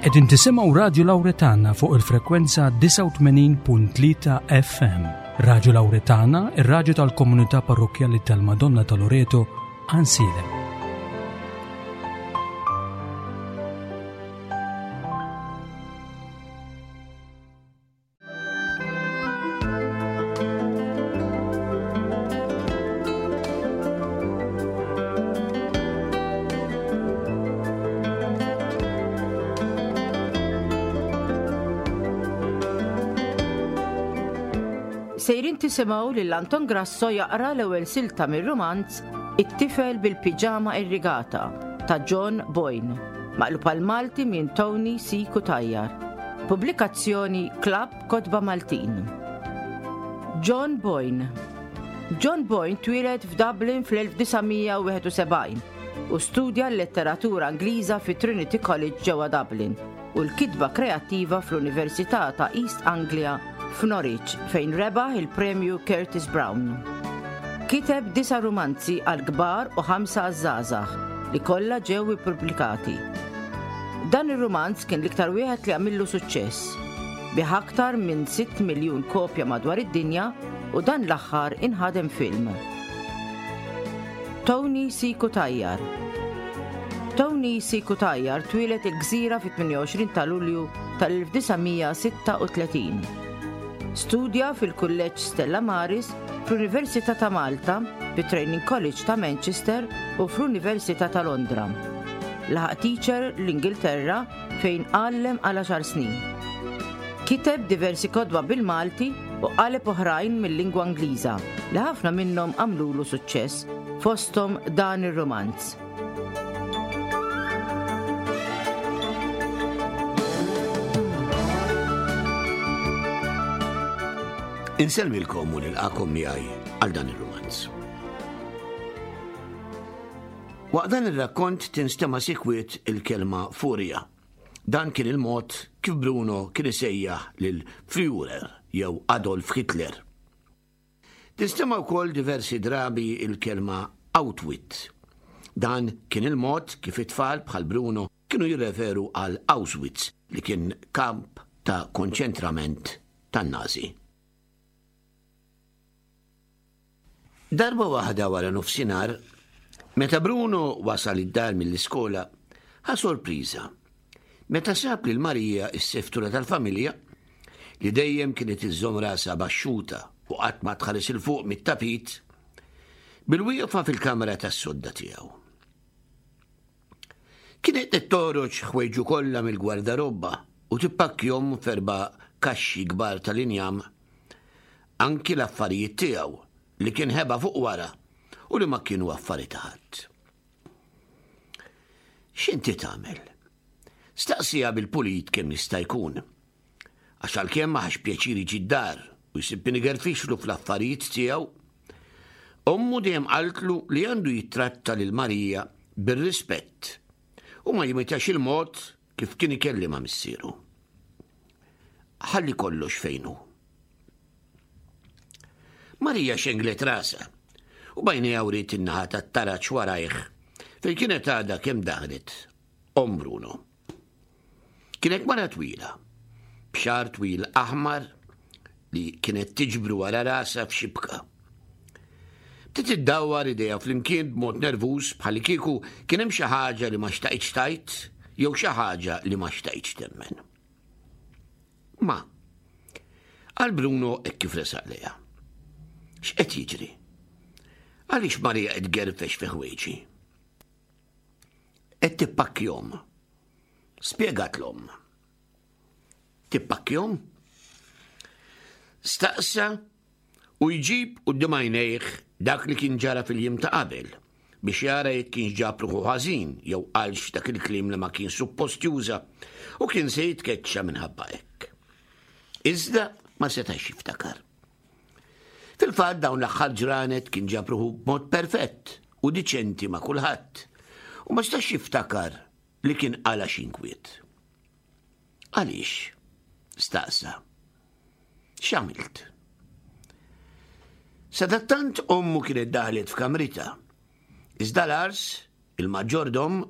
Qegħdin tisimgħu Radju Lawretana fuq il-frekwenza 89.3 FM. Radju Lawretana, ir-radju tal-komunità parrokkjali tal-Madonna ta' Loreto, Ansilem. Sejrin tisimgħu lil Anton Grasso jaqra l-ewwel silta mir-rumanz It-tifel bil-piġama irrigata ta' John Boyne, maqlub għal Malti minn Tony C. Cutajar. Pubblikazzjoni Klabb Kotba Maltin. John Boyne John Boyne twieled f'Dublin fl-1971 u studja l-letteratura Ingliża fi Trinity College ġewwa Dublin u l-kitba kreattiva fl-Università ta' East Anglia f'Norwich fejn rebaħ il-Premju Curtis Brown. Kiteb disa' rumanzi għall-kbar u ħamsa għaż-żgħażagħ li kollha ġew ippubblikati. Dan ir-rumanz kien l-iktar wieħed li għamillu suċċess. Biegħ aktar minn 6 miljun kopja madwar id-dinja u dan l-aħħar inħadem film. Tony C. Cutajar Tony C. Cutajar twieled il-Gżira fit-28 ta' Lulju tal-1936. Studja fil-Kulleġġ Stella Maris, fl-Università ta' Malta, fit-Training College ta' Manchester u fl-Università ta' Londra. Laħaq teacher l-Ingilterra fejn għallem għal għaxar snin. Kiteb diversi kotba bil-Malti u qaleb oħrajn mil-lingwa Ingliża li ħafna minnhom għamlulu suċċess, fosthom dan ir-rumanz. Insellmilkom u nilqakom miegħi għal dan ir-rumanz. Waqt dan ir-rakkont tinstema' sikwit il-kelma furja. Dan kien il-mod kif Bruno kien isejjaħ lil Führer jew Adolf Hitler. Tinstema' wkoll diversi drabi il-kelma Outwit. Dan kien il-mod kif it-tfal bħal Bruno kienu jirreferu għal Auschwitz li kien kamp ta' konċentrament tan-Nazi. Darba waħda wara nofsinhar, meta Bruno wasal id-dar mill-iskola, ħa sorpriża meta sab lil Marija s-seftura tal-familja li dejjem kienet iżżomm rasha baxxuta u qatt ma tħares 'il fuq mit-tapit, bilwieqfa fil-kamra tas-sodda tiegħu. Kienet qed toħroġ ħwejġu kollha mill-gwardarobba u tippakkjhom f'erba' kaxxi kbar tal-injam, anki l-affarijiet tiegħu li kien ħeba fuq wara u li ma kienu affari ta' ħadd. X'inti tagħmel? Staqsieha bil-pulit kemm jista' jkun. Għax għalkemm ma ħax pjaċir jiġi d-dar u jsib min igerfixlu fl-affarijiet tiegħu, ommu dejjem qaltlu li għandu jittratta lil Marija bir-rispett u ma jimitax il-mod kif kien ikellimha missieru. Ħalli kollox fejn hu. Marija xenglet rasha u b'għajnejha wriet in-naħa tat-taraġ warajh fejn kienet għadha kemm daħlet omm Bruno. Kienet mara twila, b'xagħar twil aħmar li kienet tiġbru wara rasha f'xibka. Bdiet iddawwar idejha flimkien b'mod nervuż bħallikieku kien hemm xi ħaġa li ma xtaqitx tgħid jew xi ħaġa li ma xtaqitx temmen. Ma, qal Bruno hekk kif resaq lejha. X'qed jiġri? Għaliex Marija qed tgerfex fi ħwejġi? Qed tippakkjhom. Spjegat l-omm. Tippakkjhom? Staqsa u jġib quddiem għajnejh dak li kien ġara fil-jiem ta' qabel biex jara jekk kienx ġab ruħu ħażin jew qalx dak il-kliem li ma kien suppost juża u kien se jitkeċċa minħabba hekk. Iżda ma setax jiftakar. Fil-fatt dawn l-aħħar ġranet kien ġab ruħu b'mod perfett u diċenti ma' kulħadd u ma setax jiftakar li kien qala xi inkwiet. Għaliex? staqsa. X'għamilt? Sadattant ommu kienet daħlet f'kamritha. Iżda Lars, il-maġġordom,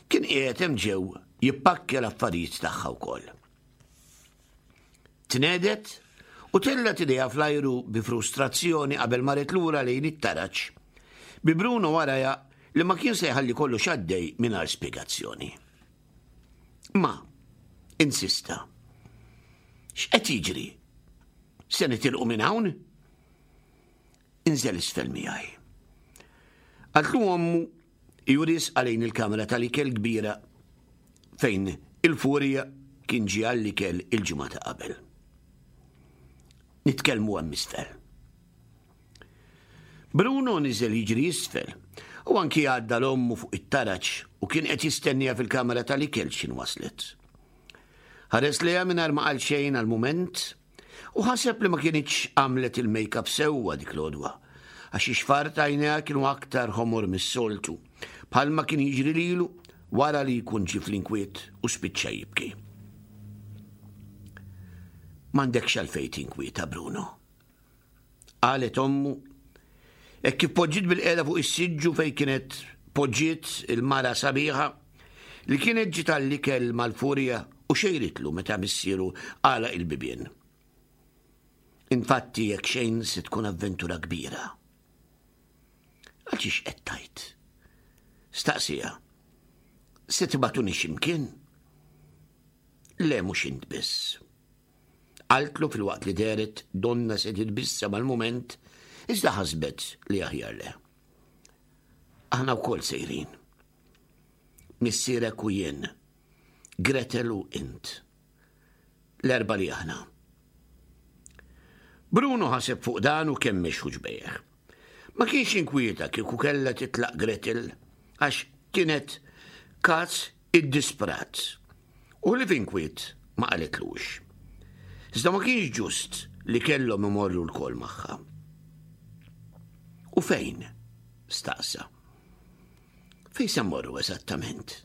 kien qiegħed hemm ġew jippakkja l-affarijiet tagħha wkoll. Tnehdet u tellgħet idejha fl-ajru bi frustrazzjoni qabel marret lura lejn it-taraġ, bi Bruno warajha li ma kien se jħalli kollox għaddej mingħajr spjegazzjoni. Ma, insista. X'qed jiġri? Se nitilqu minn hawn? Inżel isfel miegħi. Qaltlu ommu juris għalejn il-kamra tal-ikel kbira fejn il-furja kien ġie għall-ikel il-ġimgħa ta' qabel. Nitkellmu hemm isfel. Bruno niżel jiġri isfel u anki għadda l-ommu fuq it-taraġ u kien qed jistennija fil-kamra tal-ikel x'in waslet. Ħares lejha mingħajr ma qal xejn għal mument U ħaseb li ma kinitx għamlet il-makeup sewwa dik l-għodwa, għax ix-xfar t'għajnejha kienu aktar ħomor mis-soltu, bħalma kien jiġri lilu wara li jkun ġie fl-inkwiet u spiċċa jibki. M'għandekx għalfejn tinkwieta, Bruno. Qalet ommu, hekk kif poġġiet bilqiegħda fuq is-siġġu fejn kienet poġġiet il-mara sabiħa li kienet ġiet għall-ikel mal-furja u xejritlu meta missieru għalaq il-bibien. Infatti jekk xejn se tkun avventura kbira. Għalxiex qed tgħid? Staqsija. Se tibgħatuni x'imkien? Le mhux int biss. Qaltlu filwaqt li dehret donnha se titbissem għal mument, iżda ħasbet li aħjar le. Aħna wkoll sejrin. Missierek u jien, Gretel u int. L-erba li aħna. Bruno ħaseb fuq dan u kemmex ħuġbejh. Ma kienx inkwieta kieku kellha titlaq Gretel għax kienet kaz iddisprat. U li f'inkwiet ma qalitlux. Iżda ma kienx ġust li kellhom imorru lkoll magħha. U fejn? staqsa. Fejn se mmorru eżattament?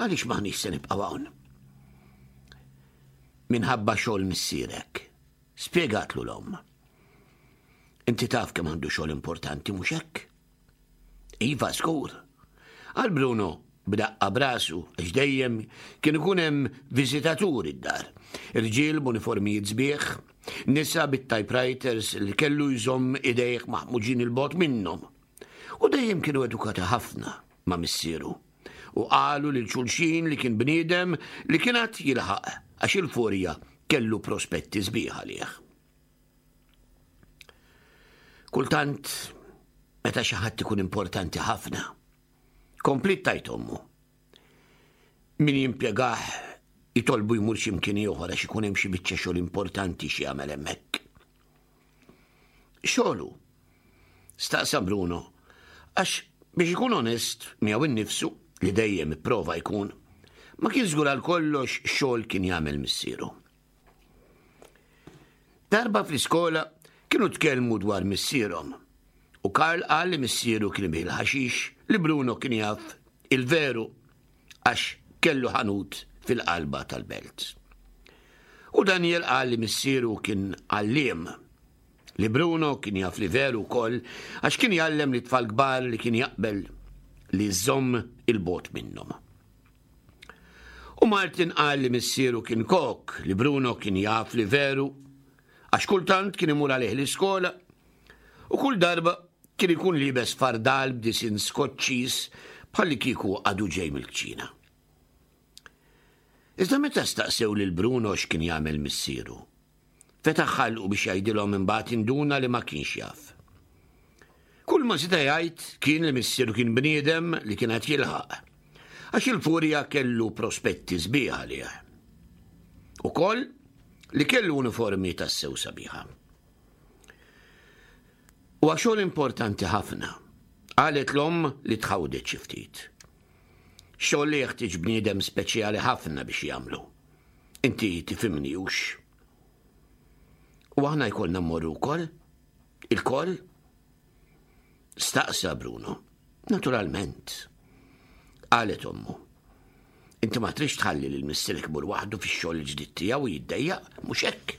Għaliex m'aħniex se nibqgħu hawn? Minħabba xogħol missierek, spjegatlu l-omm. Inti taf kemm għandu xogħol importanti mhux hekk? Iva, żgur. Qal Bruno b'daqqa b'rasu għax dejjem kien ikun hemm viżitaturi d-dar. Irġiel b'uniformijiet sbieħ, nisa bit-typewriters li kellu jżomm idejh maħmuġin il-bogħod minnhom. U dejjem kienu edukati ħafna ma' missieru. U qalu lil xulxin li kien bniedem li kien għad jilħaq għax il-furja kellu prospetti sbieħ għalih. Kultant, meta xi ħadd ikun importanti ħafna, kompliet tajt ommu. Min jimpjegah jitolbu jmur xi mkien ieħor għax ikun hemm xi biċċa xogħol importanti xi jagħmel hemmhekk. Xogħlu? Staqsa Bruno, għax biex ikun onest miegħu innifsu li dejjem ipprova jkun, ma kien żgur għal kollox xogħol kien jagħmel missieru. Darba fl-iskola kienu tkellmu dwar missierhom u Karl qal li missieru kien ibih il-ħaxix li Bruno kien jaf il-veru għax kellu ħanut fil-qalba tal-belt. U Daniel qal li missieru kien għalliem li Bruno kien jaf li veru wkoll għax kien jgħallem li tfal kbar li kien jaqbel li żomm il-bot minnhom. U Martin qal li missieru kien kok, li Bruno kien jaf li veru, għax kultant kien imur għalih l-iskola, u kull darba kien ikun liebes fardal b'disin skoċċiż bħalli kieku għadu ġej mill-kċina. Iżda meta staqsew lil Bruno x'kien jagħmel missieru, Fetaħ ħalqu biex jgħidilhom imbagħad induna li ma kienx jaf. Kull ma seta' jgħid kien li missieru kien bniedem li kien qed jilħaq, għax il-furja kellu prospetti sbieħ għalih. Ukoll li kellu uniformi tassew sabiħa. Huwa xogħol importanti ħafna, qalet l-omm li tħawdet xi ftit. Xogħol li jeħtieġ bniedem speċjali ħafna biex jagħmlu. Inti tifhimni hux? U aħna jkollna mmorru wkoll? Ilkoll? Staqsa Bruno. Naturalment. Qalet ommu. Inti ma trix tħalli lil missierek imur waħdu fix-xogħol il-ġdid tiegħu u jiddejjaq, mhux hekk?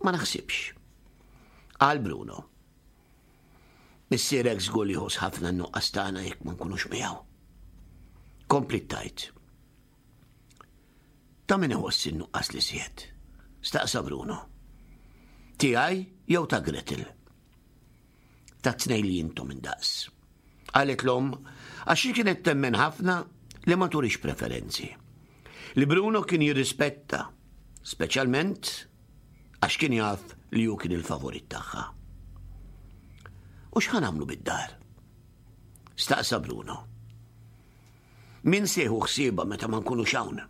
Ma naħsibx. Qal Bruno. Missierek żgur li jħoss ħafna n-nuqqas tagħna jekk ma nkunux miegħu. Kompliet tgħid. Ta' min iħoss in-nuqqas li siet? Staqsa Bruno. Tiegħi jew ta' Gretel? Ta' tnej li intom indaqs. Qalet l-omm għax hi kienet temmen ħafna li ma turix preferenzi. Li Bruno kien jirrispetta, speċjalment għax kien jaf li hu kien il-favorit tagħha. U x'ħa nagħmlu bid-dar? Staqsa Bruno. Min se jieħu ħsiebha meta ma nkunux hawn?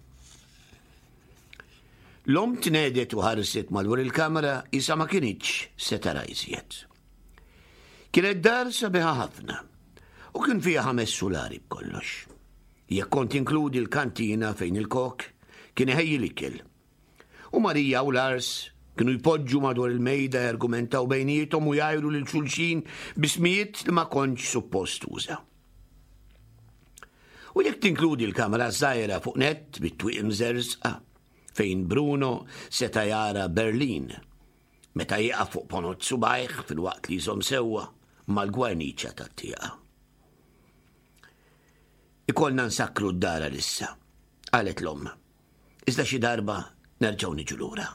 L-omm tnedet u ħarset madwar il-kamra isa ma kinitx se tara iżjed. Kienet dar sabiħa ħafna u kien fiha ħames sulari b'kollox. Jekk kont inkludi l-kantina fejn il-kok kien iħejji l-ikel. U Marija u Lars kienu jpoġġu madwar il-mejda jargumentaw bejniethom u jgħajru lil xulxin bismijiet li ma kontx suppost tuża. U jekk tinkludi l-kamra żgħira fuq nett bit-twieq imżerżqa fejn Bruno seta' jara Berlin meta jieqaf fuq ponot subajh filwaqt li jżomm sewwa mal-gwarniċa tat-tieqa. Ikollna nsakkru d-dar għalissa, qalet l-omm. Iżda xi darba nerġgħu niġu lura.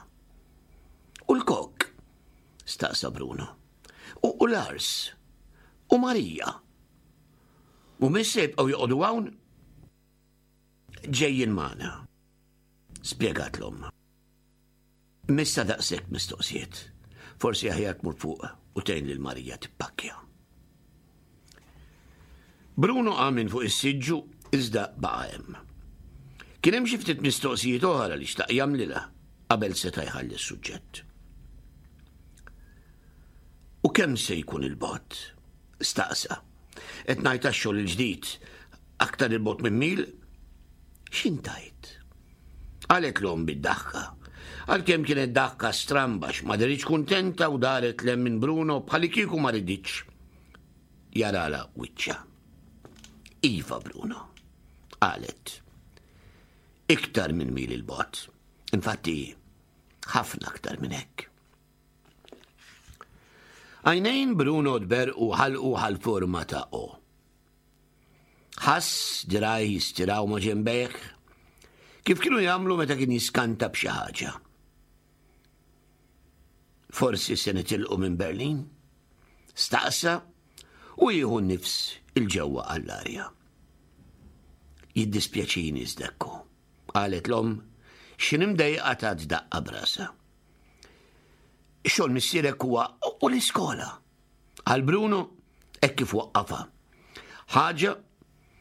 U l-kok? staqsa Bruno. U Lars? U Marija? Mhumiex se jibqgħu joqogħdu hawn? Ġejjin magħna, spjegat l-omm. Missa daqshekk mistoqsijiet. Forsi aħjar tmur fuq u tgħin lil Marija tippakkja. Bruno qam minn fuq is-siġġu iżda baqa' hemm. Kien hemm xi ftit mistoqsijiet oħra li xtaq jagħmlilha qabel seta' jħalli s-suġġett. U kemm se jkun il-bogħod? Staqsa. Qed ngħid għax-xogħol il-ġdid aktar il-bogħod minn mil? X'intajt? Qalet l-omm bid-daħka. Għalkemm kienet daħka stramba ma deritx kuntenta u daret lem minn Bruno bħalikieku ma riditx jarala wiċċha. Iva Bruno, qalet. Iktar minn mil il-bogħod. Infatti, ħafna aktar minn hekk. Għajnejn Bruno tberqu ħalqu ħal-forma ta' O. Ħass diraj jistiraw ma' ġembejh, kif kienu jagħmlu meta kien jiskanta b'xi ħaġa. Forsi se nitilqu minn Berlin? Staqsa u jieħu nifs il-ġewwa għall-arja. Jiddispjaċini zdekku, qalet l-omm x'inhi mdejqa tat daqqa brasa. Xogħol missierek huwa u l-iskola. Għal Bruno hekk kif waqqafha. Ħaġa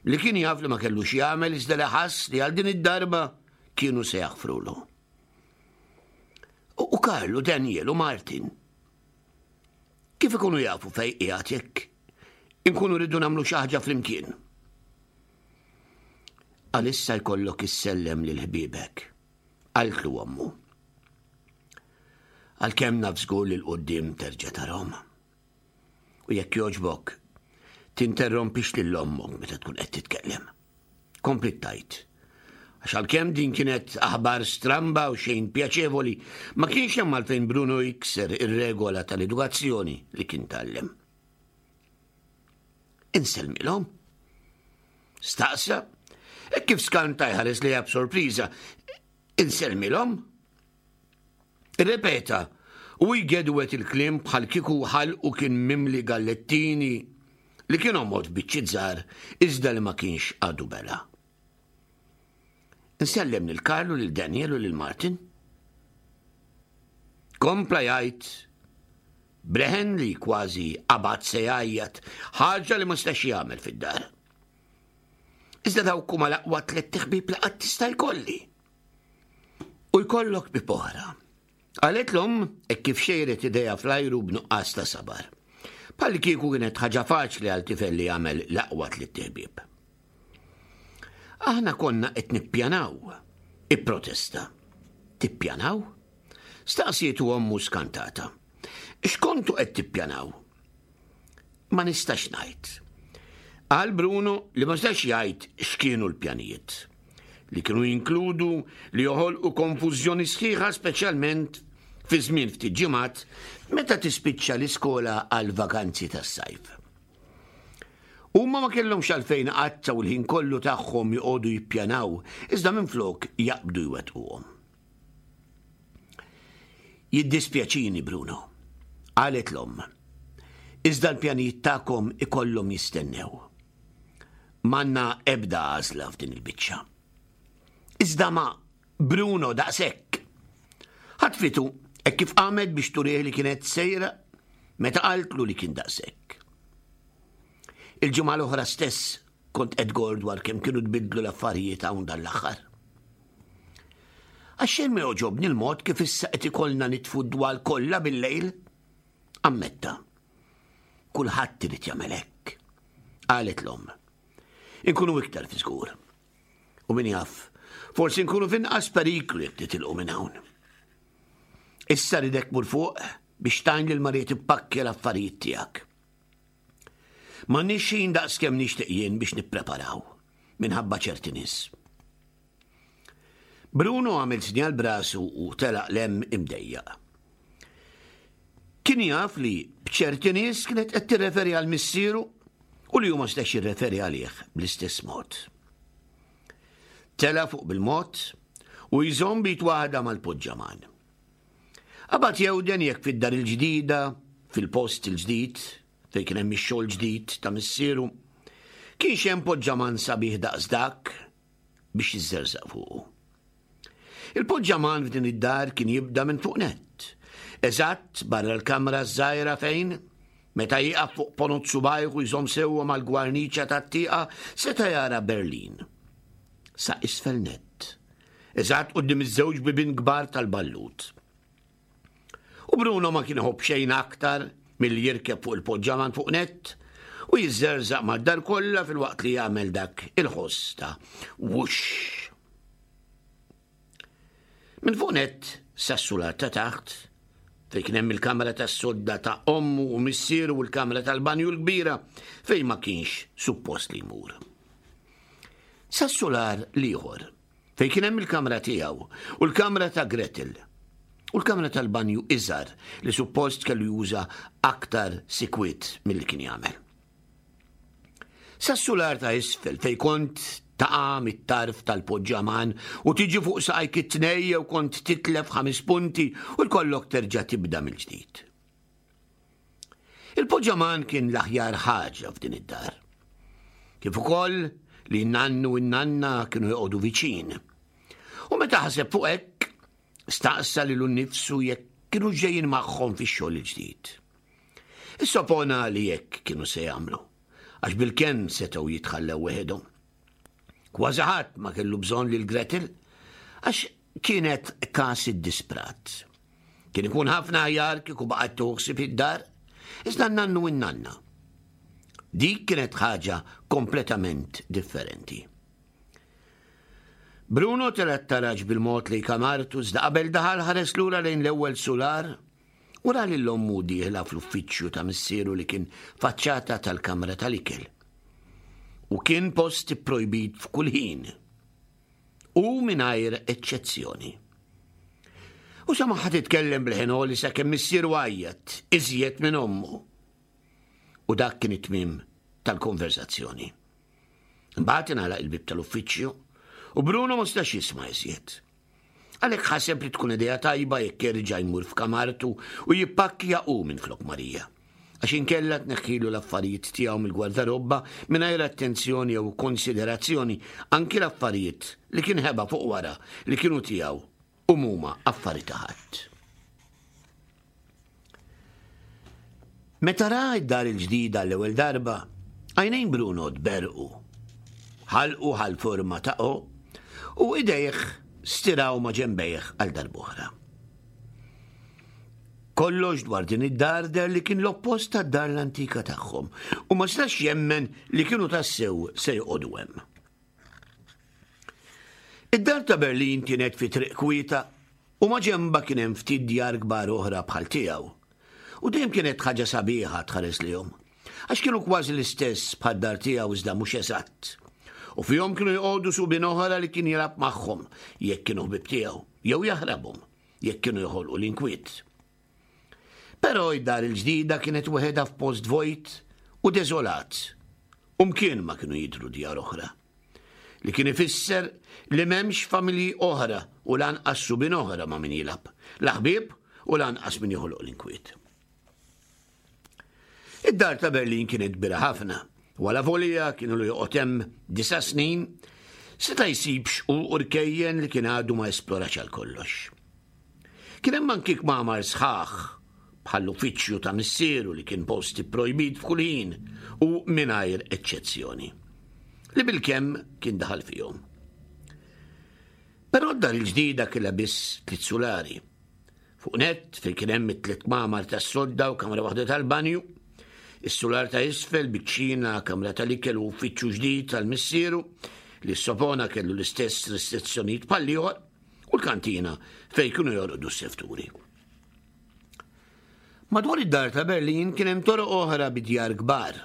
li kien jaf li ma kellux jagħmel iżda li ħass li għal din id-darba kienu se jaħfrulu. U Karl u Daniel u Martin. Kif ikunu jafu fej qiegħed jekk inkunu rridu nagħmlu xi ħaġa flimkien? Għalissa jkollok issellem lil ħbiebek, qaltlu ommu. Għalkemm naf żgur li l-quddiem terġa' tarhom. U jekk jogħġbok, tinterrompix lil ommok meta tkun qed titkellem. Kompliet tgħid. Għax għalkemm din kienet aħbar stramba u xejn pjaċevoli, ma kienx hemm għalfejn Bruno jikser ir-regola tal-edukazzjoni li kien tgħallem. Insellmilhom. Staqsa, e kif skanta jħares li b'sorpriża. Insellmilhom? Irrepeta, u jgedwet il-kliem bħal kieku ħalqu kien mimli gallettini li kien għomod biċċiet żgħar iżda li ma kienx għadu bela. Insellem lil Karlu, lil Daniel u lil Martin. Kompla jgħid bleħen li kważi qabad se jgħajjat ħaġa li ma stax jagħmel fid-dar. Iżda dawk huma l-aqwa tlett ħbieb li qatt tista' jkolli. U jkollok bib oħra. Qalet l-omm hekk kif xejret idejha fl-ajru b'nuqqas ta' sabar. Bħal kieku kienet ħaġa faċli għal tifel li jagħmel l-aqwa tlitt ħbieb. Aħna konna qed nippjanaw, ipprotesta. Tippjanaw? Staqsietu ommu skantata. X'kontu qed tippjanaw? Ma nistax ngħid. Qal Bruno li ma setax jgħid x'kienu l-pjanijiet, li kienu jinkludu li joħolqu konfużjoni sħiħa speċjalment fi żmien ftit ġimgħat meta tispiċċa l-iskola għall-vakanzi tas-sajf. Huma ma kellhomx għalfejn iqattgħu l-ħin kollu tagħhom joqogħdu jippjanaw, iżda minflok jaqbdu jwettquhom. Jiddispjaċini, Bruno, qalet l-omm. Iżda l-pjanijiet tagħkom ikollhom jistennew. M'għandna ebda għażla f'din il-biċċa. Iżda ma Bruno daqshekk. Ħatfitu hekk kif qamet biex turih li kienet sejra meta qaltlu li kien daqshekk. Il-ġimgħa l-oħra stess kont qed gor dwar kemm kienu tbiddlu l-affarijiet hawn dan l-aħħar. Għax xejn ma jogħġobni l-mod kif issa qed ikollna nitfu d-dwal kollha bil-lejl. Ammetta. Kulħadd irid jagħmel hekk. Qalet l-omm. Inkunu iktar fi żgur. U min jaf, forsi nkunu f'inqas periklu jekk nitilqu minn hawn. Issa ridek mur fuq biex tajn lil Marija tippakkja l-affarijiet tiegħek. M'għandniex ħin daqskemm nixtieq jien biex nippreparaw minħabba ċerti nies. Bruno għamel sinjal brasu u telaq lem imdejjaq. Kien jaf li b'ċerti nies kienet qed tirreferi għal missieru u li hu ma setax jirreferi għalih bl-istess mod. Tela fuq bil-mod u jżomm bit waħda mal-poġġaman. Qabad jewden jekk fid-dar il-ġdida, fil-post il-ġdid, fejn kien hemm ix-xogħol ġdid ta' missieru, kienx hemm poġġaman sabiħ daqs dak biex jiżżerżaq fuqu. Il-poġġaman f'din id-dar kien jibda minn fuq nett, eżatt barra l-kamra ż-żgħira fejn, meta jieqaf fuq ponot subajh u jżomm sewwa mal-gwarniċa tat-tieqa, seta' jara Berlin. Sa isfel nett, eżatt quddiem iż-żewġ bibien kbar tal-ballut. U Bruno ma kien iħobb xejn aktar milli jirkeb fuq il-poġġaman fuq nett u jiżżerżaq mad-dar kollha filwaqt li jagħmel dak il-ħoss ta' wuxx. Minn fuq nett sas-sular ta' taħt, fejn kien hemm il-kamra tas-sodda ta' ommu u missieru u l-kamra tal-banju l-kbira fejn ma kienx suppost li jmur. Sas-sular l-ieħor, fejn kien hemm il-kamra tiegħu u l-kamra ta' Gretel u l-kamra tal-banju iżgħar li suppost kellu juża aktar sikwit milli kien jagħmel. Sas-sular ta' isfel fejn kont taqa' mit-tarf tal-poġġaman u tiġi fuq saqajk it-tnej jew kont titlef ħames punti u jkollok terġa' tibda mill-ġdid. Il-poġġaman kien l-aħjar ħaġa f'din id-dar. Kif ukoll li n-nannu u n-nanna kienu joqogħdu viċin. U meta ħaseb fuq hekk, staqsa lilu nnifsu jekk kienu ġejjin magħhom fix-xogħol il-ġdid. Issopona li hekk kienu se jagħmlu, għax bilkemm setgħu jitħallew weħidhom. Kważi ħadd ma kellu bżonn lil Gretel, għax kienet każ iddisprat. Kien ikun ħafna aħjar kieku baqgħet tuħsib id-dar, iżda n-nannu u n-nanna. Dik kienet ħaġa kompletament differenti. Bruno tela' t-taraġ bil-mod lejn kamartu iżda qabel daħal ħares lura lejn l-ewwel sular u ra lil ommu dieħla fl-uffiċċju ta' missieru li kien faċċata tal-kamra tal-ikel. U kien post ipprojbit f'kull ħin. U mingħajr eċċezzjoni. U samaħħa titkellem b'leħen għoli sakemm missieru għajjat iżjed minn ommu. U dak kien it-tmiem tal-konversazzjoni. Imbagħad ingħalaq il-bieb tal-uffiċċju u Bruno ma stax jisma' iżjed. Għalhekk ħaseb li tkun idea tajba jekk jerġa' jmur f'kamartu u jippakkja hu minflok Marija. Għax inkella tneħħilu l-affarijiet tiegħu mill-gwardarobba mingħajr attenzjoni jew konsiderazzjoni anki l-affarijiet li kien ħeba fuq wara li kienu tiegħu u mhuma affari ta' ħadd. Meta ra d-dar il-ġdida l-ewwel darba, għajnejn Bruno tberrqu. Ħalqu ħa l-forma ta' O u idejh stiraw ma' ġenbejh għal darb'oħra. Kollox dwar din id-dar deher li kien l-oppost tad-dar l-antika tagħhom u ma setax jemmen li kienu tassew se joqogħdu hemm. Id-dar ta' Berlin kienet fi triq kwieta u maġenbha kien hemm ftit djar kbar oħra bħal tiegħu. U dejjem kienet ħaġa sabiħa tħares lihom, għax kienu kważi l-istess bħad-dar tiegħu iżda mhux eżatt. U fihom kienu joqogħdu subien oħra li kien jilgħab magħhom jekk kienu ħbieb tiegħu, jew jaħrabhom jekk kienu joħolqu l-inkwiet. Però id-dar il-ġdida kienet weħedha f'post vojt u deżolat. U mkien ma kienu jidhru djar oħra. Li kien ifisser li m'hemmx familji oħra u lanqas subien oħra ma' min jilgħab, la ħbieb u lanqas min joħloq l-inkwiet. Id-dar ta' Berlin kienet kbira ħafna, u alavolja kien ilu joqgħod hemm disa' snin, seta' jsib xquq u rkejjen li kien għadu ma esplorax għal kollox. Kien hemm anki kmamar sħaħ bħall-uffiċċju ta' missieru li kien post ipprojbit f'kull ħin u mingħajr eċċezzjoni, li bilkemm kien daħal fihom. Però d-dar il-ġdida kellha biss tliet sulari. Fuq nett fejn kien hemm it-tliet kmamar tas-sodda u kamra waħda tal-banju, is-sular ta' isfel biċ-ċina, kamra tal-ikel u uffiċċju ġdid tal-missieru li s-sopona kellu l-istess restrizzjonijiet bħall-ieħor, u l-kantina fejn kienu jorqdu s-sefturi. Madwar id-dar ta' Berlin kien hemm toroq oħra bi djar kbar.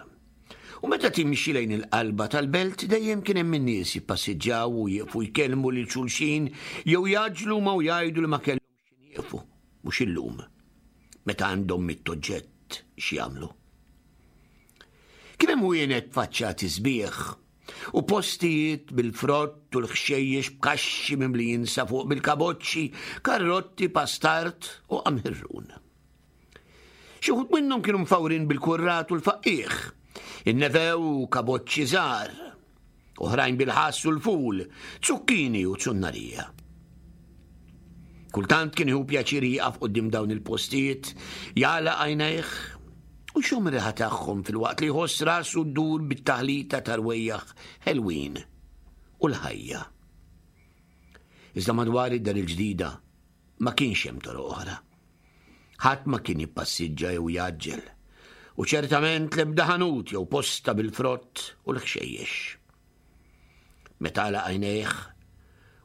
U meta timxi lejn il-qalba tal-belt dejjem kien hemm in-nies jippassiġġaw u jieqfu jkellmu lil xulxin jew jgħaġġlu ma u jgħidu li ma kellhomx x'ħin jieqfu, mhux illum, meta għandhom mitt oġġett x'jagħmlu. Kien hemm wienet b'faċċati sbieħ u postijiet bil-frott u l-ħxejjex b'kaxxi mimlijin sa fuq bil-kaboċċi, karrotti, pastard u qamħirrun. Xi wħud minnhom kienu mfawrin bil-kurrat u l-faqqiegħ, in-nevew u kaboċċi żgħar, oħrajn bil-ħass u l-ful, zucchini u zunnarija. Kultant kien jieħu pjaċir jieqaf quddiem dawn il-postijiet, jagħlaq għajnejh u jxomm ir-riħa tagħhom filwaqt li jħoss rasu ddur bit-taħlita ta' rwejjaħ ħelwin u l-ħajja. Iżda madwar id-dar il-ġdida ma kienx hemm toroq oħra. Ħadd ma kien jippassiġġa jew jgħaġġel, u ċertament l-ebda ħanut jew posta bil-frott u l-ħxejjex. Meta għalaq għajnejh,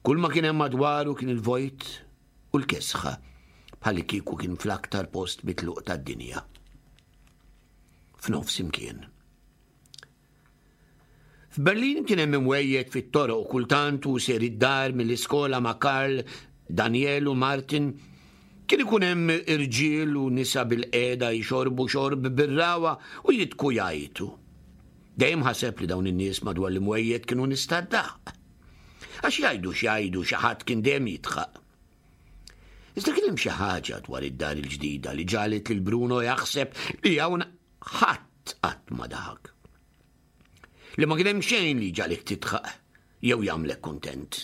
kull ma kien hemm madwaru kien il-vojt u l-kesħa, bħalli kieku kien fl-aktar post mitluq tad-dinja. F'nofs imkien. F'Berlin kien hemm imwejjed fit-toroq u kultant hu ser id-dar mill-iskola ma' Karl, Daniel u Martin. Kien ikun hemm irġiel u nisa bil-qiegħda jxorbu xorb bir-ragħwa u jidhku jgħajtu. Dejjem ħaseb li dawn in-nies madwar l-imwejjed kienu nies tad-daħq. Għax jgħidu x'jgħidu xi ħadd kien dejjem jidħaq. Iżda kien hemm xi ħaġa dwar id-dar il-ġdida li ġagħlet lil Bruno jaħseb li hawn ħadd qatt ma daħak. Li ma kien hemm xejn li jġagħlek tidħaq jew jagħmlek kuntent.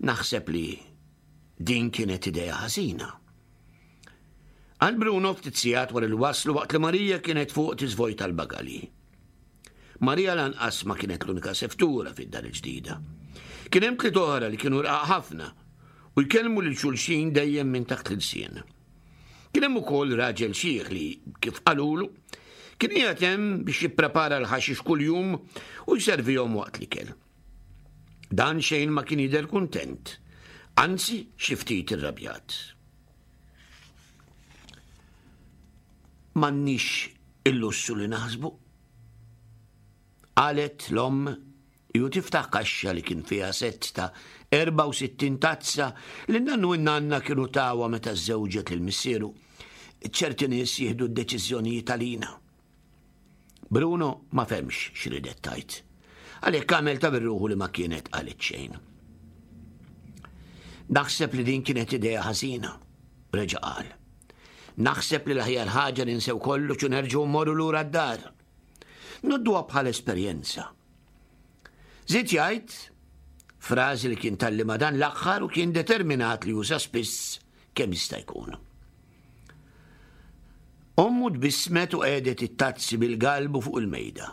Naħseb li din kienet idea ħażina. Qal Bruno ftit sigħat wara li waslu waqt li Marija kienet fuq tiżvojta l-bagalji. Marija lanqas ma kienet l-unika seftura fid-dar il-ġdida. Kien hemm tliet oħra li kienu rqaq ħafna u jkellmu lil xulxin dejjem minn taħt l-ilsien. Kien hemm ukoll raġel xiħ li, kif qalulu, kien qiegħed hemm biex jipprepara l-ħaxix kuljum u jservihom waqt l-ikel. Dan xejn ma kien jidher kuntent, anzi xi ftit irrabjat. M'għandniex il-lussu li naħsbu. Qalet l-omm ju tiftaħ kaxxa li kien fiha sett ta' 64 tazza li n-nannu u n-nanna kienu tawha meta żżewġet lil missieru. Ċerti nies jieħdu d-deċiżjonijiet għalina. Bruno ma fehmx x'ridet tgħid. Għalhekk għamel ta' birruħu li ma kienet qalet xejn. Naħseb li din kienet idea ħażina, reġa' qal. Naħseb li l-aħjar ħaġa ninsew kollox u nerġgħu mmorru lura d-dar. Nodduha bħala esperjenza. Żied jgħid frażi li kien tgħallimha dan l-aħħar u kien determinat li juża spiss kemm jista' jkun. Ommu tbissmet u qiegħdet it-tazzi bil-galbu fuq il-mejda.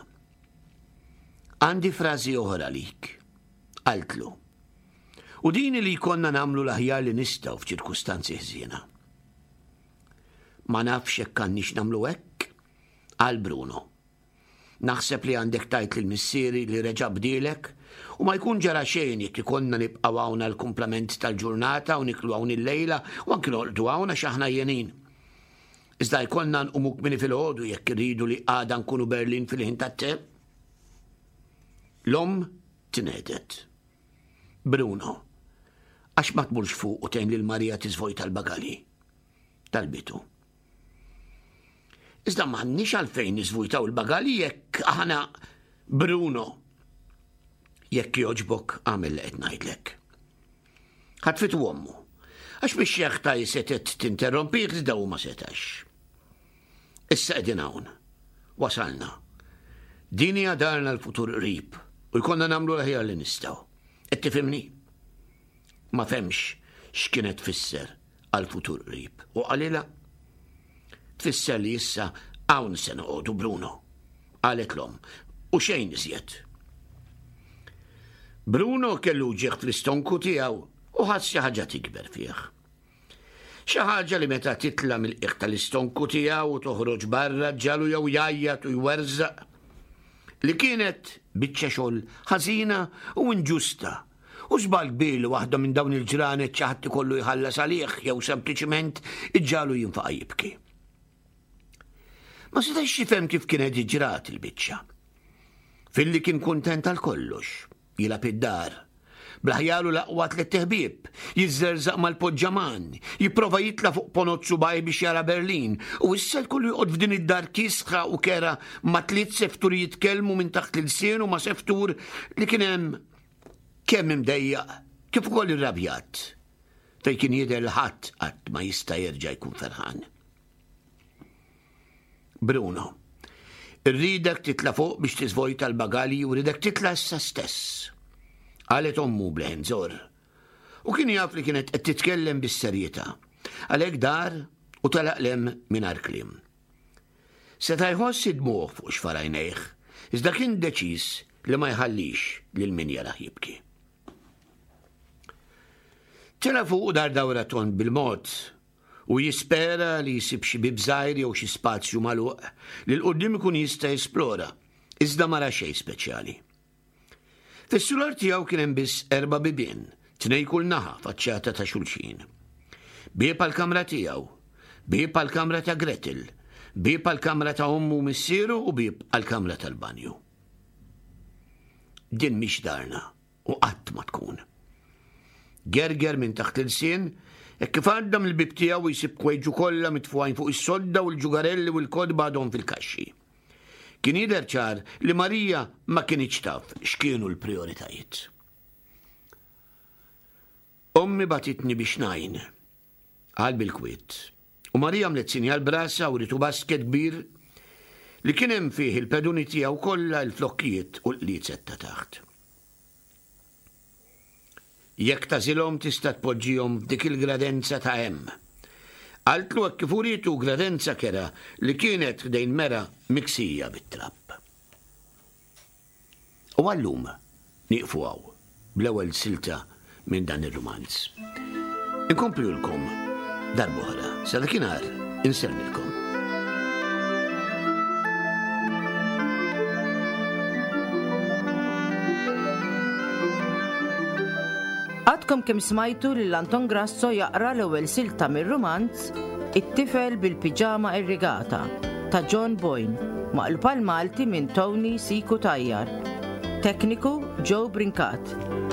Għandi frażi oħra għalik, qaltlu. U din li jkollna nagħmlu l-aħjar li nistgħu f'ċirkustanzi ħżiena. Ma nafx jekk għandniex nagħmlu hekk, qal Bruno. Naħseb li għandek tgħid lil missieri li reġa' bdielek u ma jkun ġara xejn jekk ikollna nibqgħu hawn għall-kumplament tal-ġurnata u niklu hawn illejla u anki norqdu hawn għax aħna għajjenin. Iżda jkollna nqumu kmieni filgħodu jekk irridu li għada nkunu Berlin fil-ħin tat-te. L-omm tnehdet. Bruno, għax ma tmurx fuq u tgħin lil Marija tiżvojta l-bagalji? Talbitu. Iżda m'għandniex għalfejn niżvujtaw il-bagalji jekk aħna Bruno. Jekk jogħġbok agħmel li qed ngħidlek. Ħatfitu ommu. Għax biex jaħta setet tinterrompih iżda hu ma setax. Issa qegħdin hawn. Wasalna. Din hija darna l-futur qrib u jkollna nagħmlu l-aħjar li nistgħu. Qed tifhimni? Ma fehmx x'kienet tfisser għall-futur qrib u qalilha, Tfisser li issa hawn se noqogħdu, Bruno, qalet l-omm, u xejn iżjed. Bruno kellu uġigħ fl-istonku tiegħu u ħass xi ħaġa tikber fih. Xi ħaġa li meta titla' mill-qiegħ tal-istonku tiegħu u toħroġ barra ġġagħlu jew jgħajjat u jwerżaq. Li kienet biċċa xogħol ħażina u inġusta u żball kbir li waħda minn dawn il-ġranet xi ħadd ikollu jħallas għalih jew sempliċiment iġġagħlu jinfaqa' jibki. Ma setax jifhem kif kienet ġrat il-biċċa. Filli kien kuntent għal kollox, jilgħab id-dar, bl-aħjar u l-aqwa tlett iħbieb, jiżżerżaq mal-poġġaman, jipprova jitla' fuq ponot subgħajh biex jara Berlin, u issa jkollu joqgħod f'din id-dar kiesħa u kerha ma' tliet sefturi jitkellmu minn taħt l-ilsien u ma' seftur li kien hemm kemm imdejjaq kif ukoll irrabjat, fejn kien jidher li ħadd qatt ma jista' jerġa' jkun ferħan. Bruno, irridek titla' fuq biex tiżvojta l-bagalji u rridek titla' issa stess. Qalet ommu b'leħen żorr. U kien jaf li kienet qed titkellem bis-serjetà. Għalhekk dar u telaq 'l hemm mingħajr kliem. Seta' jħoss id-dmugħ fuq xfar għajnejh, iżda kien deċiż li ma jħallix lil min jarah jibki. Tela' fuq u dar dawra tond bil-mod u jispera li jsib xi bieb żgħir jew xi spazju magħluq li 'l quddiem ikun jista' jesplora, iżda ma ra xejn speċjali. Fis-sular tiegħu kien hemm biss erba' bibien, tnejn kull naħa faċċata ta' xulxin. Bieb għall-kamra tiegħu, bieb għall-kamra ta' Gretel, bieb għall-kamra ta' ommu u missieru u bieb għall-kamra tal-banju. Din mhix darna u qatt ma tkun. Gerger minn taħt l-ilsien, hekk kif għadda mill-bieb tiegħu jsib kwejġu kollha mitfugħin fuq is-sodda u l-ġugarelli u l-kotba għadhom fil-kaxxi. Kien jidher ċar li Marija ma kinitx taf x'kienu l-prijoritajiet. Ommi bagħtitni biex ngħin, qal bil-kwiet. U Marija għamlet sinjal b'rasha u ritu basket kbir li kien hemm fih il-peduni tiegħu kollha, il-flokkijiet u l-qliezet ta' taħt. Jekk tagħżilhom tista' tpoġġihom f'dik il-gradenza ta' hemm. Qaltlu hekk kif urietu gradenza kerha li kienet ħdejn mera miksija bit-trab. U għal-lum nieqfu hawn bl-ewwel silta minn dan ir-rumanz. Inkomplulkom darb'oħra. Sa dakinhar insellmilkom. Għadkom kemm smajtu lil Anton Grasso jaqra l-ewwel silta mir-rumanz It-tifel bil-piġama irrigata ta' John Boyne, maqlub għall-Malti minn Tony C. Cutajar. Tekniku Joe Brincat.